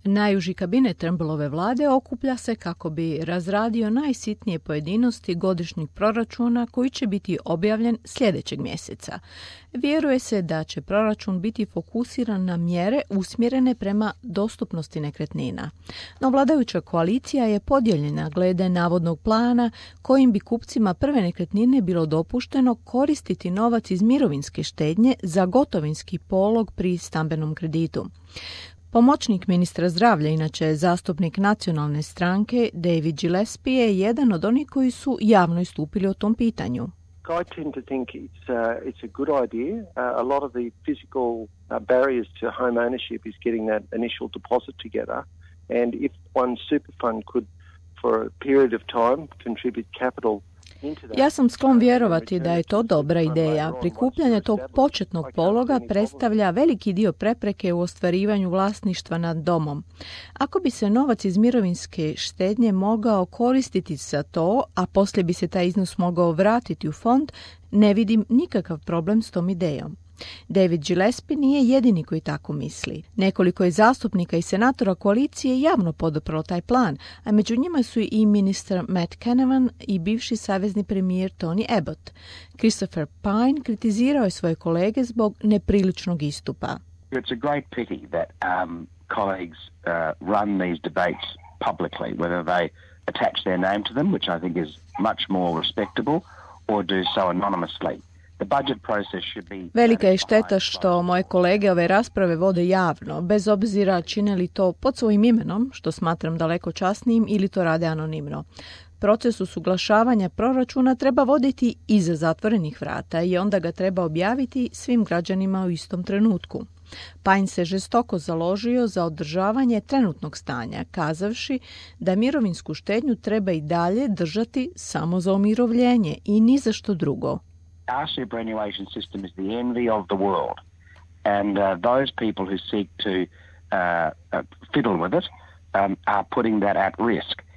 Najuži kabinet Turnbullove vlade okuplja se kako bi razradio najsitnije pojedinosti godišnjeg proračuna koji će biti objavljen sljedećeg mjeseca. Vjeruje se da će proračun biti fokusiran na mjere usmjerene prema dostupnosti nekretnina. No vladajuća koalicija je podijeljena glede navodnog plana kojim bi kupcima prve nekretnine bilo dopušteno koristiti novac iz mirovinske štednje za gotovinski polog pri stambenom kreditu. Pomoćnik ministra zdravlja, inače zastupnik nacionalne stranke, David Gillespie, je jedan od onih koji su javno istupili o tom pitanju. I tend to think it's a good idea. A lot of the physical barriers to home ownership is getting that initial deposit together. And if one super fund could, for a period of time, contribute capital. Ja sam sklon vjerovati da je to dobra ideja. Prikupljanje tog početnog pologa predstavlja veliki dio prepreke u ostvarivanju vlasništva nad domom. Ako bi se novac iz mirovinske štednje mogao koristiti za to, a poslije bi se taj iznos mogao vratiti u fond, ne vidim nikakav problem s tom idejom. David Gillespie nije jedini koji tako misli. Nekoliko je zastupnika i senatora koalicije javno poduprlo taj plan, a među njima su i ministar Matt Canavan i bivši savezni premijer Tony Abbott. Christopher Pine kritizirao je svoje kolege zbog nepriličnog istupa. It's a great pity that colleagues run these debates publicly, whether they attach their name to them, which I think is much more respectable, or do so anonymously. Velika je šteta što moje kolege ove rasprave vode javno, bez obzira čine li to pod svojim imenom, što smatram daleko časnijim, ili to rade anonimno. Proces usuglašavanja proračuna treba voditi iza zatvorenih vrata i onda ga treba objaviti svim građanima u istom trenutku. Pine se žestoko založio za održavanje trenutnog stanja, kazavši da mirovinsku štednju treba i dalje držati samo za umirovljenje i ni za što drugo. Our superannuation system is the envy of the world, and those people who seek to fiddle with it are putting that at risk.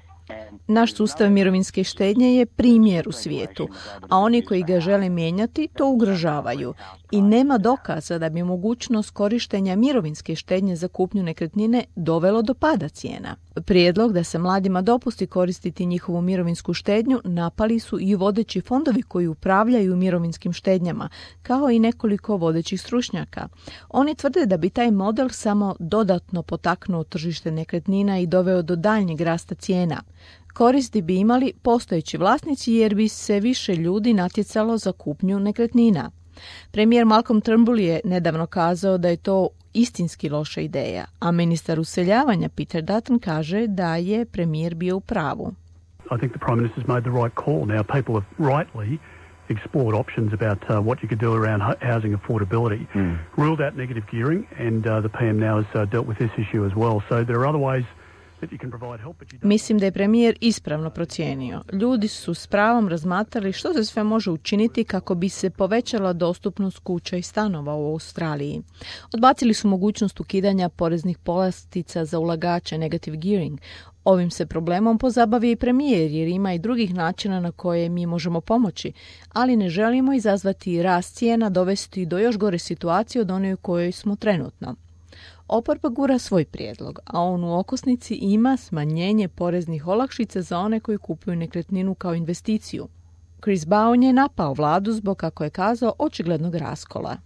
Naš sustav mirovinske štednje je primjer u svijetu, a oni koji ga žele mijenjati to ugrožavaju i nema dokaza da bi mogućnost korištenja mirovinske štednje za kupnju nekretnine dovelo do pada cijena. Prijedlog da se mladima dopusti koristiti njihovu mirovinsku štednju napali su i vodeći fondovi koji upravljaju mirovinskim štednjama, kao i nekoliko vodećih stručnjaka. Oni tvrde da bi taj model samo dodatno potaknuo tržište nekretnina i doveo do daljnjeg rasta cijena. Koristi bi imali postojeći vlasnici jer bi se više ljudi natjecalo za kupnju nekretnina. Premijer Malcolm Turnbull je nedavno kazao da je to istinski loša ideja, a ministar useljavanja Peter Dutton kaže da je premijer bio u pravu. I think the Prime Minister's made the right call. Now people have rightly explored options about what you could do around housing affordability, ruled out negative gearing, and the PM now has dealt with this issue as well. So there are other ways. Mislim da je premijer ispravno procijenio. Ljudi su s pravom razmatrali što se sve može učiniti kako bi se povećala dostupnost kuća i stanova u Australiji. Odbacili su mogućnost ukidanja poreznih povlastica za ulagače, negative gearing. Ovim se problemom pozabavio i premijer jer ima i drugih načina na koje mi možemo pomoći, ali ne želimo izazvati rast cijena, dovesti do još gore situacije od one u kojoj smo trenutno. Oporba gura svoj prijedlog, a on u okosnici ima smanjenje poreznih olakšica za one koji kupuju nekretninu kao investiciju. Chris Bowen je napao vladu zbog, kako je kazao, očiglednog raskola.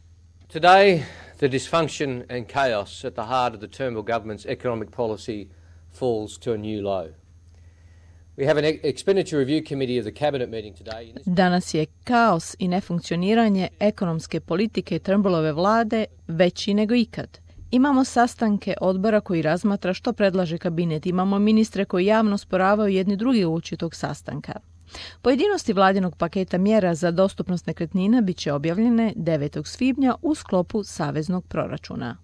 Today, the dysfunction and chaos at the heart of the Turnbull government's economic policy falls to a new low. We have an expenditure review committee of the cabinet meeting today. Danas je kaos i nefunkcioniranje ekonomske politike Turnbullove vlade veći nego ikad. Imamo sastanke odbora koji razmatra što predlaže kabinet. Imamo ministre koji javno sporavaju jedni drugi uoči tog sastanka. Pojedinosti vladinog paketa mjera za dostupnost nekretnina bit će objavljene 9. svibnja u sklopu saveznog proračuna.